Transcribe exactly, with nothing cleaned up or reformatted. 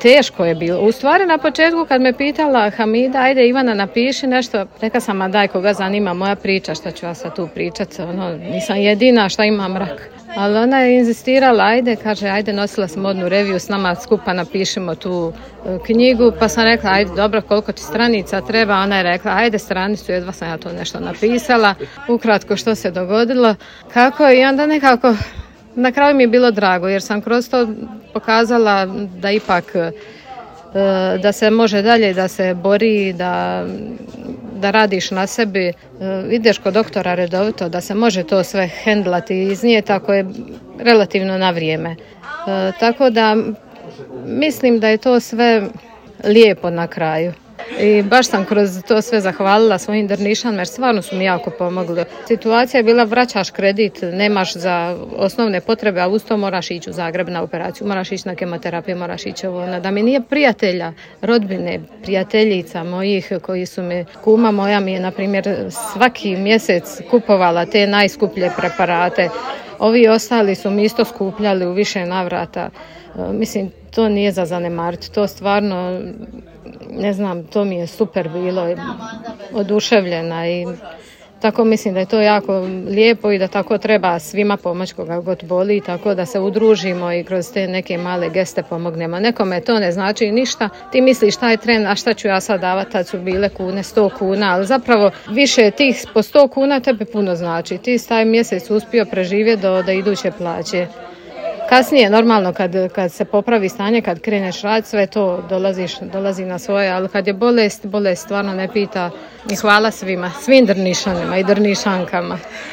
teško je bilo. U stvari na početku kad me pitala Hamida, ajde Ivana napiši nešto, rekla sam, a daj koga zanima moja priča, šta ću ja sad tu pričat, ono, nisam jedina šta imam rak. Ali ona je inzistirala, ajde, kaže, ajde, nosila sam modnu reviju, s nama skupa napišemo tu knjigu, pa sam rekla, ajde, dobro, koliko ti stranica treba, ona je rekla, ajde, stranicu, jedva sam ja to nešto napisala, ukratko što se dogodilo, kako i onda nekako, na kraju mi je bilo drago, jer sam kroz to pokazala da ipak, da se može dalje, da se bori, da, da radiš na sebi, ideš kod doktora redovito, da se može to sve hendlati iz nje, tako je relativno na vrijeme. E, tako da mislim da je to sve lijepo na kraju. I baš sam kroz to sve zahvalila svojim Drnišanima jer stvarno su mi jako pomogli. Situacija je bila, vraćaš kredit, nemaš za osnovne potrebe, a uz to moraš ići u Zagreb na operaciju, moraš ići na kemoterapiju, moraš ići ovo. Da mi nije prijatelja, rodbine, prijateljica mojih koji su mi, kuma moja mi je na primjer svaki mjesec kupovala te najskuplje preparate. Ovi ostali su mi isto skupljali u više navrata. Mislim, to nije za zanemariti, to stvarno, ne znam, to mi je super bilo, oduševljena i tako mislim da je to jako lijepo i da tako treba svima pomoći koga god boli, tako da se udružimo i kroz te neke male geste pomognemo. Nekome to ne znači ništa, ti misliš šta je tren, a šta ću ja sad davati, tad su bile kune, sto kuna, ali zapravo više tih po sto kuna tebi puno znači, ti taj mjesec uspio preživjeti do, do iduće plaće. Kasnije, normalno, kad, kad se popravi stanje, kad kreneš raditi, sve to dolaziš, dolazi na svoje, ali kad je bolest, bolest stvarno ne pita. I hvala svima, svim Drnišanima i Drnišankama.